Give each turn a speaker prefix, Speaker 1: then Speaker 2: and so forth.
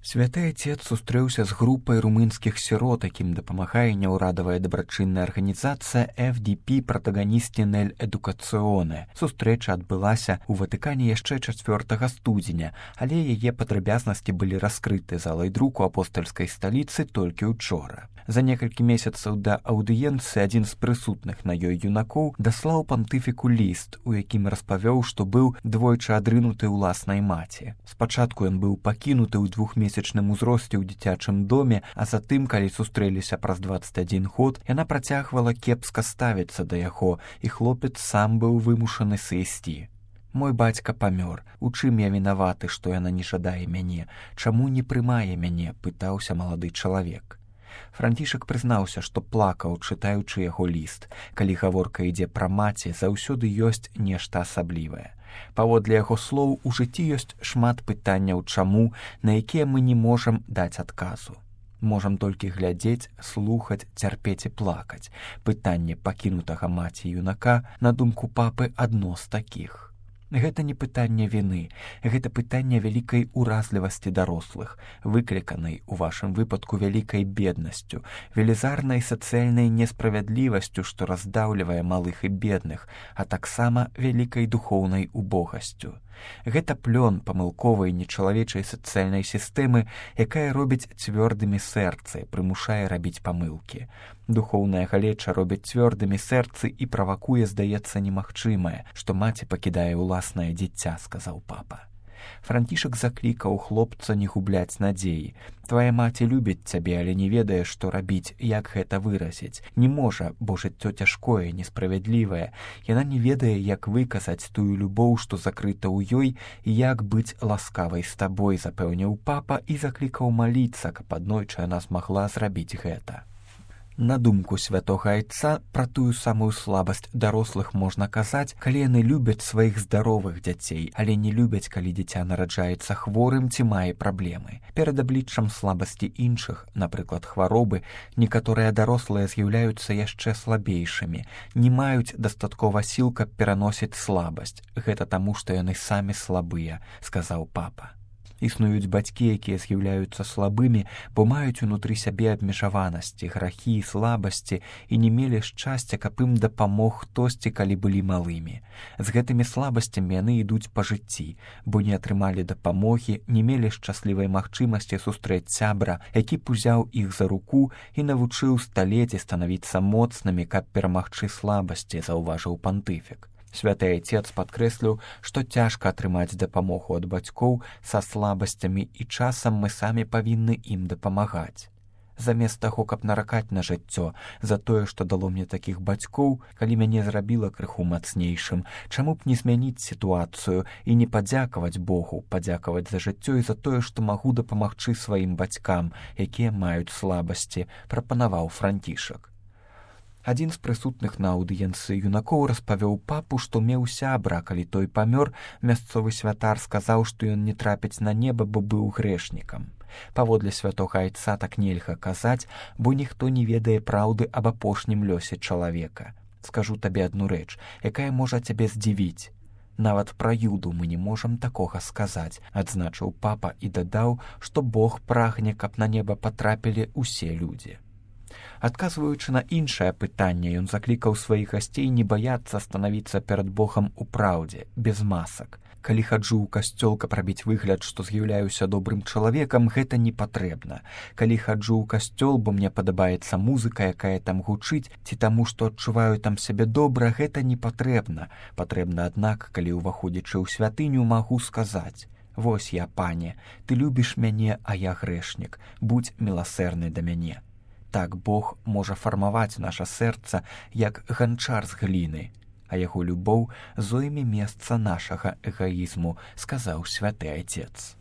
Speaker 1: Святы Отец сустрэўся з групай румынскіх сірот, якім дапамагае няўрадавая дабрачынная арганізацыя FDP «Протагоністи нель Эдукаціоне». Сустрэча адбылася ў Ватыкане яшчэ 4 студзеня, але яе падрабязнасці былі раскрыты залай друку апостальскай сталіцы толькі учора. За некалькі месяцаў да аўдыенцыі адзін з прысутных на ёй юнакоў даслаў пантыфіку ліст, у якім распавёў, што быў двойчы адрынуты ўласнай маці. Спачатку ён быў пакінуты ў 2-месячным узросце ў дзіцячым доме, а затым, калі сустрэліся праз 21 год, яна працягвала кепска ставіцца да яго, і хлопец сам быў вымушаны сысці. «Мой бацька памёр. У чым я вінаваты, што яна не жадае мяне? Чаму не прымае мяне?» – пытаўся малады чалавек. Францішак прызнаўся, што плакаў, чытаючы яго ліст. Калі гаворка ідзе пра маці, заўсёды ёсць нешта асаблівае. Паводле яго слоў, у жыцці ёсць шмат пытанняў чаму, на якія мы не можам даць адказу. Можам толькі глядзець, слухаць, цярпець і плакаць. Пытанне пакінутага маці юнака, на думку папы, адно з такіх. Гэта не пытанне віны, гэта пытанне вялікай уразлівасці дарослых, выкліканай у вашым выпадку вялікай беднасцю, велізарнай сацыяльнай несправядлівасцю, што раздаўлівае малых і бедных, а таксама вялікай духоўнай убогасцю. Гэта плён памылковай нечалавечай сацыяльнай сістэмы, якая робіць цвёрдымі сэрцы, прымушае рабіць памылкі. Духоўная галеча робіць цвёрдымі сэрцы і правакуе, здаецца, немагчымае, што маці пакідае ўласнае дзіця, сказаў папа. Францішак заклікаў хлопца не губляць надзеі. «Твая маці любіць цябе, але не ведае, што рабіць, як гэта выразіць. Не можа, бо жыццё цяжкое, несправядлівае. Яна не ведае, як выказаць тую любоў, што закрыта ў ёй, і як быць ласкавай з табой», – запэўніў папа і заклікаў маліцца, каб аднойчы яна змагла зрабіць гэта. На думку святога Айца, пра тую самую слабасць дарослых можна казаць, калі яны любяць сваіх здаровых дзяцей, але не любяць, калі дзіця нараджаецца хворым ці мае праблемы. Перад абліччам слабасці іншых, напрыклад, хваробы, некаторыя дарослыя з'яўляюцца яшчэ слабейшымі, не маюць дастаткова сіл, каб пераносіць слабасць. Гэта таму, што яны самі слабыя, сказаў папа. Існуюць бацькі, якія з'яўляюцца слабымі, бо маюць унутры сябе абмежаванасці, грахі, слабасці і не мелі шчасця, каб ім дапамог хтосьці, калі былі малымі. З гэтымі слабасцямі яны ідуць па жыцці, бо не атрымалі дапамогі, не мелі шчаслівай магчымасці сустрэць сябра, які б узяў іх за руку і навучыў сталець і станавіцца моцнымі, каб перамагчы слабасці, заўважыў пантыфік. Святы Айцец падкрэсліў, што цяжка атрымаць дапамогу ад бацькоў са слабасцямі і часам мы самі павінны ім дапамагаць. Замест таго, каб наракаць на жыццё за тое, што дало мне такіх бацькоў, калі мяне зрабіла крыху мацнейшым, чаму б не змяніць сітуацыю і не падзякаваць Богу, падзякаваць за жыццё і за тое, што магу дапамагчы сваім бацькам, якія маюць слабасці, прапанаваў Францішак. Адзін з прысутных на аўдыенцыі юнакоў распавёў папу, што меў сябра, калі той памёр, мясцовы святар сказаў, што ён не трапіць на неба, бо быў грэшнікам. Паводле святога Айца так нельга казаць, бо ніхто не ведае праўды аб апошнім лёсе чалавека. Скажу табе адну рэч, якая можа цябе здзівіць. Нават пра Юду мы не можам такога сказаць, адзначыў папа і дадаў, што Бог прагне, каб на неба патрапілі ўсе людзі. Адказваючы на іншае пытанне, ён заклікаў сваіх гасцей не баяцца станавіцца перад Богам у праўдзе, без масак. Калі хаджу ў касцёл, каб рабіць выгляд, што з'яўляюся добрым чалавекам, гэта не патрэбна. Калі хаджу ў касцёл, бо мне падабаецца музыка, якая там гучыць, ці таму, што адчуваю там сябе добра, гэта не патрэбна. Патрэбна, аднак, калі ўваходзячы ў святыню, магу сказаць: «Вось я, пане, ты любіш мяне, а я грэшнік, будзь міласэрны да мяне». Так Бог можа фармаваць наша сэрца, як ганчар з гліны, а яго любоў зойме месца нашага эгаізму, сказаў святы Айцец.